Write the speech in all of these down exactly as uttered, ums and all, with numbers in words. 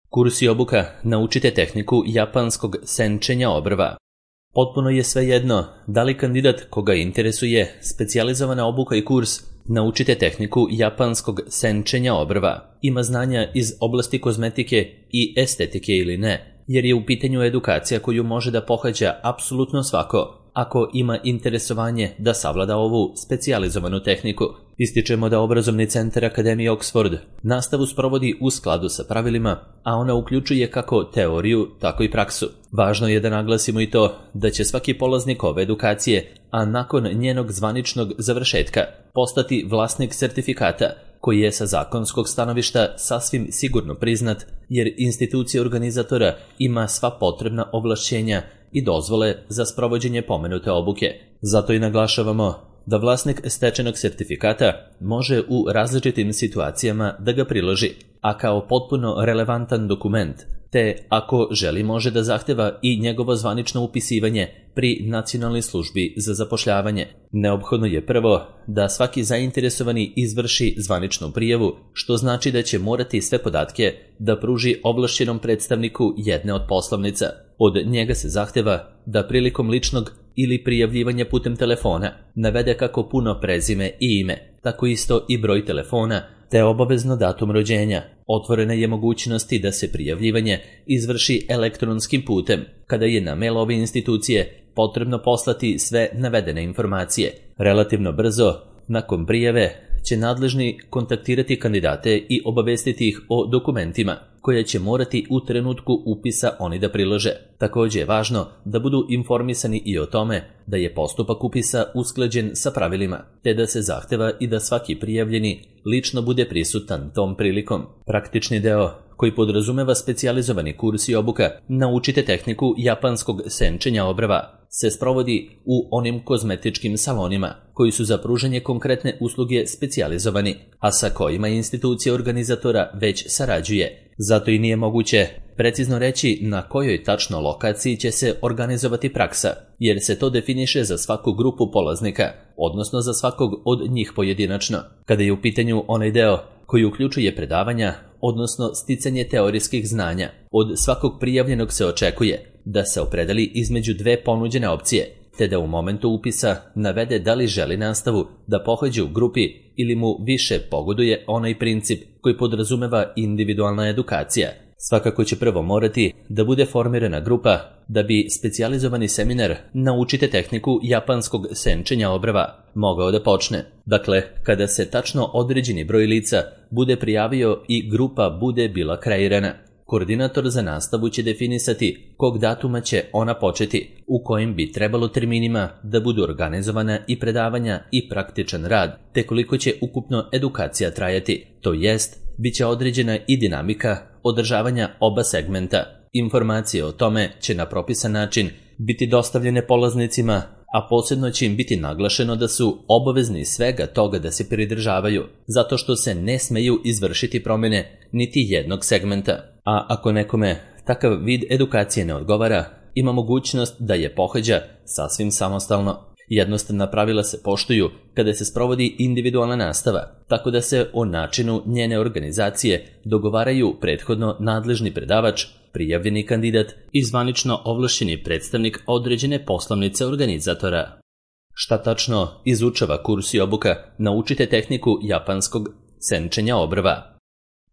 Kurs i obuka naučite tehniku japanskog senčenja obrva. Potpuno je svejedno da li kandidat koga interesuje specijalizovana obuka i kurs naučite tehniku japanskog senčenja obrva ima znanja iz oblasti kozmetike i estetike ili ne, jer je u pitanju edukacija koju može da pohađa apsolutno svako ako ima interesovanje da savlada ovu specijalizovanu tehniku. Ističemo da obrazovni centar Akademije Oxford nastavu sprovodi u skladu sa pravilima, a ona uključuje kako teoriju, tako i praksu. Važno je da naglasimo i to da će svaki polaznik ove edukacije, a nakon njenog zvaničnog završetka, postati vlasnik sertifikata, koji je sa zakonskog stanovišta sasvim sigurno priznat, jer institucija organizatora ima sva potrebna ovlašćenja i dozvole za sprovođenje pomenute obuke. Zato i naglašavamo da vlasnik stečenog sertifikata može u različitim situacijama da ga priloži, a kao potpuno relevantan dokument, te ako želi može da zahteva i njegovo zvanično upisivanje pri Nacionalnoj službi za zapošljavanje. Neophodno je prvo da svaki zainteresovani izvrši zvaničnu prijavu, što znači da će morati sve podatke da pruži ovlašćenom predstavniku jedne od poslovnica. Od njega se zahteva da prilikom ličnog ili prijavljivanja putem telefona navede kako puno prezime i ime, tako isto i broj telefona, te obavezno datum rođenja. Otvorena je mogućnost da se prijavljivanje izvrši elektronskim putem, kada je na mail ove institucije potrebno poslati sve navedene informacije. Relativno brzo, nakon prijave, će nadležni kontaktirati kandidate i obavestiti ih o dokumentima koje će morati u trenutku upisa oni da prilože. Također je važno da budu informisani i o tome da je postupak upisa usklađen sa pravilima, te da se zahteva i da svaki prijavljeni lično bude prisutan tom prilikom. Praktični deo, koji podrazumeva specijalizovani kurs i obuka naučite tehniku japanskog senčenja obrva, se sprovodi u onim kozmetičkim salonima koji su za pružanje konkretne usluge specijalizovani, a sa kojima institucija organizatora već sarađuje. Zato i nije moguće precizno reći na kojoj tačno lokaciji će se organizovati praksa, jer se to definiše za svaku grupu polaznika, odnosno za svakog od njih pojedinačno. Kada je u pitanju onaj deo koji uključuje predavanja, odnosno sticanje teorijskih znanja, od svakog prijavljenog se očekuje da se opredeli između dve ponuđene opcije, te da u momentu upisa navede da li želi nastavu da pohađa u grupi ili mu više pogoduje onaj princip koji podrazumeva individualna edukacija. Svakako će prvo morati da bude formirana grupa da bi specijalizovani seminar naučite tehniku japanskog senčenja obrva mogao da počne. Dakle, kada se tačno određeni broj lica bude prijavio i grupa bude bila kreirana, koordinator za nastavu će definisati kog datuma će ona početi, u kojim bi trebalo terminima da budu organizovana i predavanja i praktičan rad, te koliko će ukupno edukacija trajati, to jest, bit će određena i dinamika održavanja oba segmenta. Informacije o tome će na propisan način biti dostavljene polaznicima, a posebno će im biti naglašeno da su obavezni svega toga da se pridržavaju, zato što se ne smeju izvršiti promjene niti jednog segmenta. A ako nekome takav vid edukacije ne odgovara, ima mogućnost da je pohađa sasvim samostalno. Jednostavna pravila se poštuju kada se sprovodi individualna nastava, tako da se o načinu njene organizacije dogovaraju prethodno nadležni predavač, prijavljeni kandidat i zvanično ovlašćeni predstavnik određene poslovnice organizatora. Šta tačno izučava kurs i obuka naučite tehniku japanskog senčenja obrva?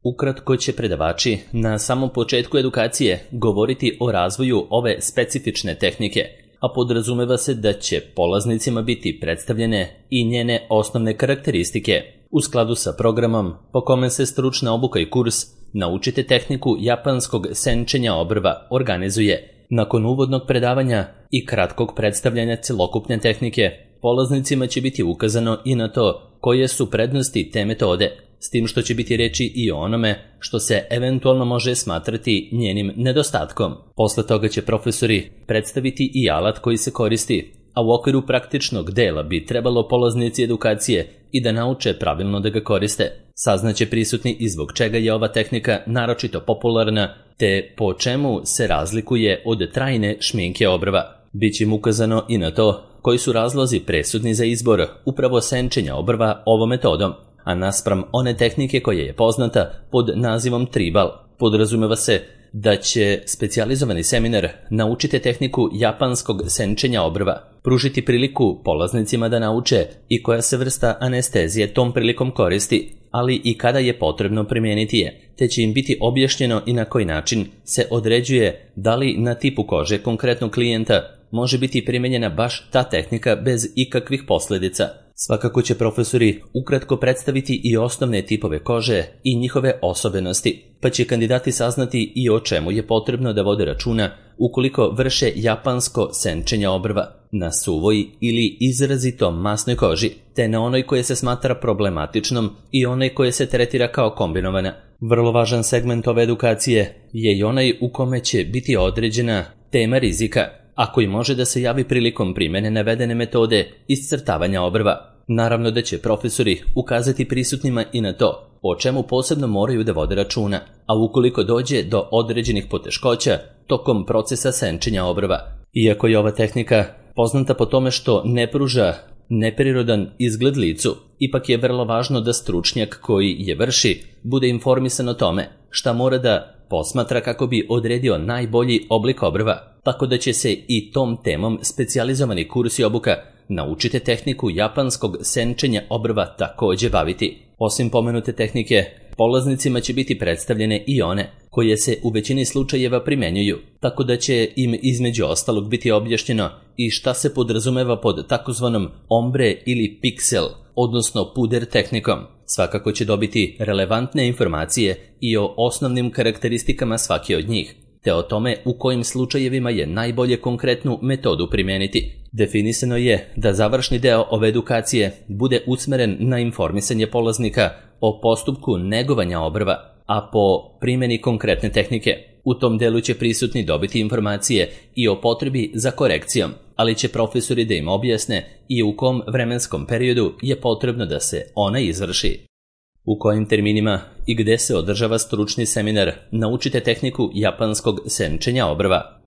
Ukratko će predavači na samom početku edukacije govoriti o razvoju ove specifične tehnike, a podrazumeva se da će polaznicima biti predstavljene i njene osnovne karakteristike. U skladu sa programom po kome se stručna obuka i kurs naučite tehniku japanskog senčenja obrva organizuje. Nakon uvodnog predavanja i kratkog predstavljanja celokupne tehnike, polaznicima će biti ukazano i na to koje su prednosti te metode, s tim što će biti reči i o onome što se eventualno može smatrati njenim nedostatkom. Posle toga će profesori predstaviti i alat koji se koristi, a u okviru praktičnog dela bi trebalo polaznici edukacije i da nauče pravilno da ga koriste. Saznaće prisutni i zbog čega je ova tehnika naročito popularna, te po čemu se razlikuje od trajne šminke obrva. Biće im ukazano i na to koji su razlozi presudni za izbor upravo senčenja obrva ovom metodom, a naspram one tehnike koja je poznata pod nazivom tribal. Podrazumeva se da će specijalizovani seminar Naučite tehniku japanskog senčenja obrva pružiti priliku polaznicima da nauče i koja se vrsta anestezije tom prilikom koristi, ali i kada je potrebno primijeniti je, te će im biti objašnjeno i na koji način se određuje da li na tipu kože konkretnog klijenta može biti primijenjena baš ta tehnika bez ikakvih posljedica. Svakako će profesori ukratko predstaviti i osnovne tipove kože i njihove osobenosti, pa će kandidati saznati i o čemu je potrebno da vode računa ukoliko vrše japansko senčenje obrva na suvoj ili izrazito masnoj koži, te na onoj koje se smatra problematičnom i onoj koje se tretira kao kombinovana. Vrlo važan segment ove edukacije je i onaj u kome će biti određena tema rizika, a koji može da se javi prilikom primjene navedene metode iscrtavanja obrva. Naravno da će profesori ukazati prisutnima i na to o čemu posebno moraju da vode računa, a ukoliko dođe do određenih poteškoća tokom procesa senčenja obrva. Iako je ova tehnika poznata po tome što ne pruža neprirodan izgled licu, ipak je vrlo važno da stručnjak koji je vrši bude informisan o tome šta mora da posmatra kako bi odredio najbolji oblik obrva, tako da će se i tom temom specijalizovani kurs i obuka Naučite tehniku japanskog senčenja obrva također baviti. Osim pomenute tehnike, polaznicima će biti predstavljene i one koje se u većini slučajeva primjenjuju, tako da će im između ostalog biti objašnjeno i šta se podrazumeva pod takozvanom ombre ili piksel, odnosno puder tehnikom. Svakako će dobiti relevantne informacije i o osnovnim karakteristikama svake od njih, te o tome u kojim slučajevima je najbolje konkretnu metodu primijeniti. Definisano je da završni deo ove edukacije bude usmeren na informisanje polaznika o postupku negovanja obrva, a po primjeni konkretne tehnike. U tom delu će prisutni dobiti informacije i o potrebi za korekcijom, ali će profesori da im objasne i u kom vremenskom periodu je potrebno da se ona izvrši. U kojim terminima i gde se održava stručni seminar Naučite tehniku japanskog senčenja obrva.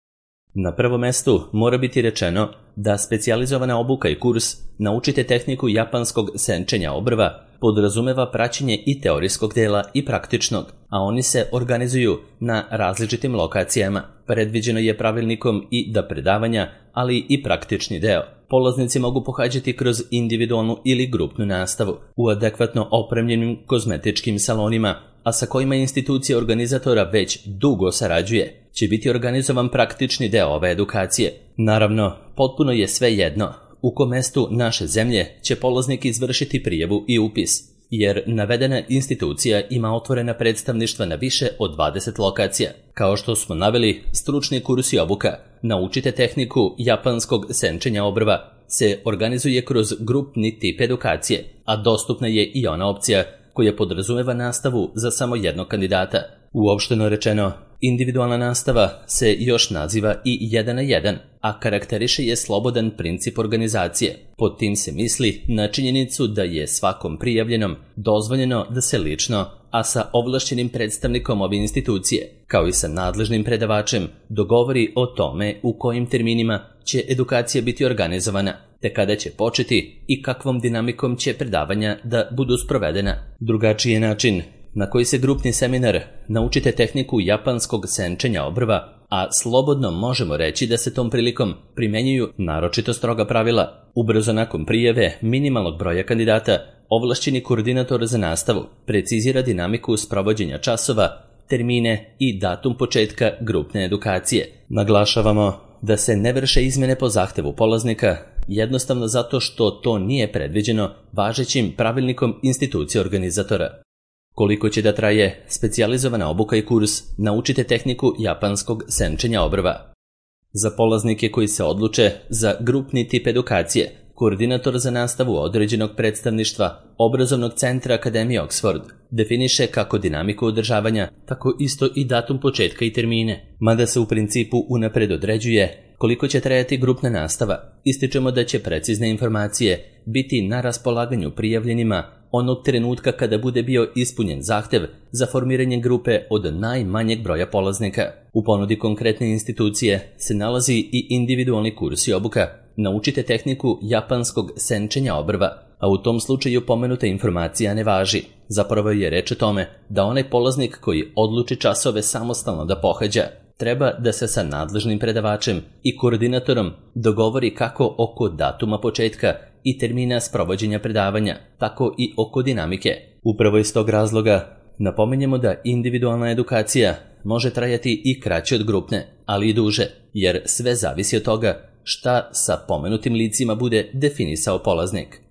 Na prvom mestu mora biti rečeno da specijalizovana obuka i kurs Naučite tehniku japanskog senčenja obrva podrazumeva praćenje i teorijskog dela i praktičnog, a oni se organizuju na različitim lokacijama. Predviđeno je pravilnikom i da predavanja, ali i praktični deo polaznici mogu pohađati kroz individualnu ili grupnu nastavu u adekvatno opremljenim kozmetičkim salonima, a sa kojima institucija organizatora već dugo sarađuje, će biti organizovan praktični deo ove edukacije. Naravno, potpuno je sve jedno u kom mestu naše zemlje će polaznik izvršiti prijavu i upis, jer navedena institucija ima otvorena predstavništva na više od dvadeset lokacija. Kao što smo naveli, stručni kurs i obuka Naučite tehniku japanskog senčenja obrva se organizuje kroz grupni tip edukacije, a dostupna je i ona opcija koja podrazumeva nastavu za samo jednog kandidata. Uopšteno rečeno, individualna nastava se još naziva i jedan na jedan, a karakteriše je slobodan princip organizacije. Pod tim se misli na činjenicu da je svakom prijavljenom dozvoljeno da se lično, a sa ovlašćenim predstavnikom ove institucije, kao i sa nadležnim predavačem, dogovori o tome u kojim terminima će edukacija biti organizovana, te kada će početi i kakvom dinamikom će predavanja da budu sprovedena. Drugačiji način na koji se grupni seminar Naučite tehniku japanskog senčenja obrva, a slobodno možemo reći da se tom prilikom primjenjuju naročito stroga pravila. Ubrzo nakon prijave minimalnog broja kandidata, ovlašćeni koordinator za nastavu precizira dinamiku sprovođenja časova, termine i datum početka grupne edukacije. Naglašavamo da se ne vrše izmjene po zahtevu polaznika, jednostavno zato što to nije predviđeno važećim pravilnikom institucije organizatora. Koliko će da traje specijalizovana obuka i kurs Naučite tehniku japanskog senčenja obrva? Za polaznike koji se odluče za grupni tip edukacije, koordinator za nastavu određenog predstavništva obrazovnog centra Akademije Oxford definiše kako dinamiku održavanja, tako isto i datum početka i termine. Mada se u principu unapred određuje koliko će trajati grupna nastava, ističemo da će precizne informacije biti na raspolaganju prijavljenima onog trenutka kada bude bio ispunjen zahtev za formiranje grupe od najmanjeg broja polaznika. U ponudi konkretne institucije se nalazi i individualni kurs i obuka Naučite tehniku japanskog senčenja obrva, a u tom slučaju pomenuta informacija ne važi. Zapravo je reč o tome da onaj polaznik koji odluči časove samostalno da pohađa, treba da se sa nadležnim predavačem i koordinatorom dogovori kako oko datuma početka i termina sprovođenja predavanja, tako i oko dinamike. Upravo iz tog razloga napominjemo da individualna edukacija može trajati i kraće od grupne, ali i duže, jer sve zavisi od toga šta sa pomenutim licima bude definisao polaznik.